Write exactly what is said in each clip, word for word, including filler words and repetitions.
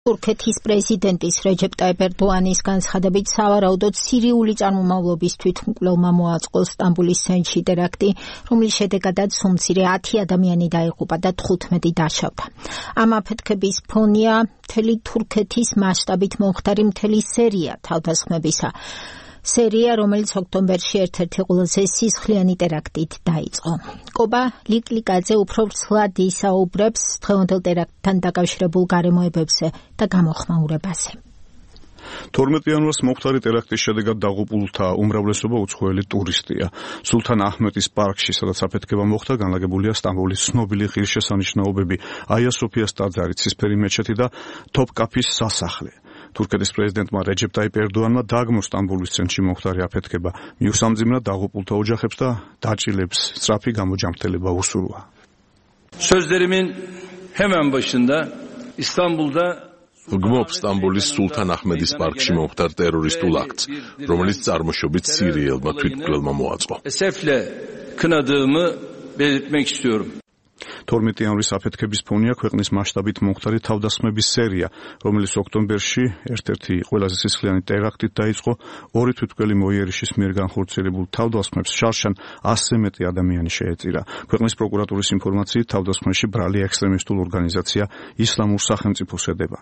თურქეთის პრეზიდენტის რეჯეპ ტაიპ ერდოანის განცხადებით სავარაუდოდ სირიული წარმომავლობის თვითმკვლელმა მოაწყო სტამბოლის ცენტრში ტერაქტი, რომლის შედეგადაც უმცირე ათი ადამიანი დაიღუპა და თხუთმეტი დაშავდა. ამ აფეთქების ფონია მთელი თურქეთის მასშტაბით მომხდარი მთელი სერია თავდასხმებისა. სერია, რომელიც ოქტომბერში ერთ-ერთი ყველაზე სისხლიანი ტერაქტით დაიწყო. კობა ლიკლიკაძე უფრო ვრცლად ისაუბრებს დღევანდელ ტერაქტთან დაკავშირებულ გარემოებებზე და გამოხმაურებაზე. თორმეტი იანვარს მომხდარი ტერაქტის შედეგად დაღუპულთა უმრავლესობა უცხოელი ტურისტია. სულთან აჰმეტის პარკში, სადაც აფეთქება მოხდა, განლაგებულია სტამბოლის ცნობილი ღირსშესანიშნაობები აია სოფიას ტაძარი, ცისფერი მეჩეთი და თოპკაფის სასახლე. თურქეთის პრეზიდენტმა რეჯეპ ტაიპ ერდოანმა დააგმო სტამბოლის ცენტრში მომხდარი აფეთქება, მიუსამძიმნა დაღუპულთა ოჯახებს და დაჭილებს სწრაფი გამოჯამრთელება უსურვა. Sözlerimin hemen başında İstanbul'da ვგმობ სტამბოლის სულთან აჰმედის პარკში მომხდარ ტერორისტულ აქტს, რომელიც წარმოშობით სირიელმა თვითმკვლელმა მოაწყო. esefle kınadığımı belirtmek istiyorum. თორმეტი იანვრის აფეთქების ფონია ქვეყნის მასშტაბით მომხდარი თავდასხმების სერია, რომელიც ოქტომბერში ერთ-ერთი ყველაზე სისხლიანი ტერაქტით დაიწყო. ორი თვითმკვლელი მოიერიშის მიერ განხორციელებულ თავდასხმებს შარშან ასზე მეტი ადამიანი შეეწირა. ქვეყნის პროკურატურის ინფორმაციით თავდასხმებში ბრალი ექსტრემისტულ ორგანიზაცია ისლამურ სახელმწიფოს ედება.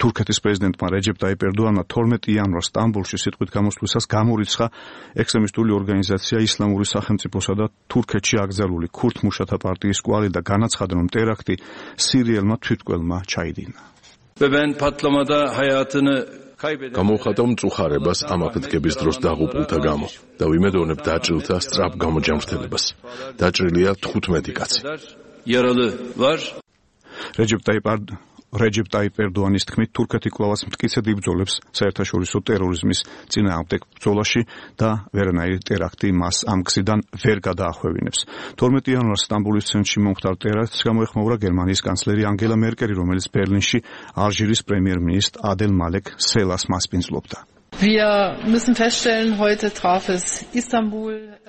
თურქეთის პრეზიდენტმა რეჯეპ ტაიპ ერდოანმა თორმეტი იანვარს სტამბოლში სიტყვით გამოსვლისას გამორიცხა ექსტრემისტული ორგანიზაცია ისლამური სახელმწიფოსა და თურქეთში აკრძალული ქურთ მუშათა პარტიის კვალი და განაცხადა, რომ ტერაქტი სირიელმა თვითმკვლელმა ჩაიდინა. გამოვხატავ მწუხარებას ამ აფეთქების დროს დაღუპულთა გამო და ვიმედოვნებ დაჭრილთა სწრაფ გამოჯამრთელებას. დაჭრილია თხუთმეტი კაცი. რეჯეპ ტაიპ რეჯეპ ტაიპ ერდოანის თქმით, თურქეთი კვლავაც მტკიცედ იბრძოლებს საერთაშორისო ტერორიზმის წინააღმდეგ ბრძოლაში და ვერანაირი ტერაქტი მას ამ გზიდან ვერ გადაახვევინებს. თორმეტი იანვარს სტამბოლის ცენტრში მომხდარ ტერაქტს გამოეხმაურა გერმანიის კანცლერი ანგელა მერკელი, რომელიც ბერლინში ალჟირის პრემიერ-მინისტრ ადელ მალეკ სელას მასპინძლობდა. Wir müssen feststellen, heute traf es Istanbul.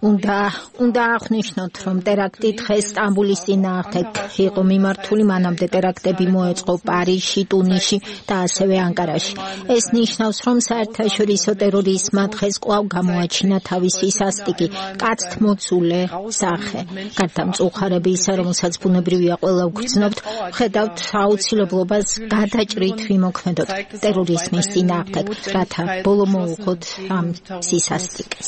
უნდა უნდა აღნიშნოთ, რომ ტერაქტი დღეს სტამბოლის წინააღმდეგ იყო მიმართული, მანამდე ტერაქტები მოეწყო პარიზში, ტუნისში და ასევე ანკარაში. ეს ნიშნავს, რომ საერთაშორისო ტერორიზმმა დღეს კვლავ გამოაჩინა თავისი სასტიკი, კაცთმოცულე სახე. გარდა მწუხარებისა, რომელსაც ბუნებრივია ყველა ვგრძნობთ, ვხედავთ აუცილებლობას გადაჭრით ვიმოქმედოთ ტერორიზმის წინააღმდეგ, რათა ბოლო მოუხოთ ამ სისასტიკეს.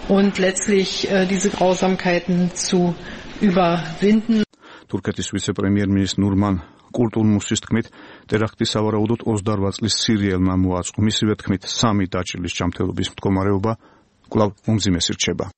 Und letztlich äh, diese Grausamkeiten zu überwinden. თურქეთის ვიცე-პრემიერ-მინისტრ ნურმან კულტურმუსის თქმით, ტერაქტი სავარაუდოდ ოცდაორ წლის სირიელმა მოაწყო. მისივე თქმით, სამი დაჭრილის ჯანმრთელობის მდგომარეობა კვლავ უმძიმესი რჩება.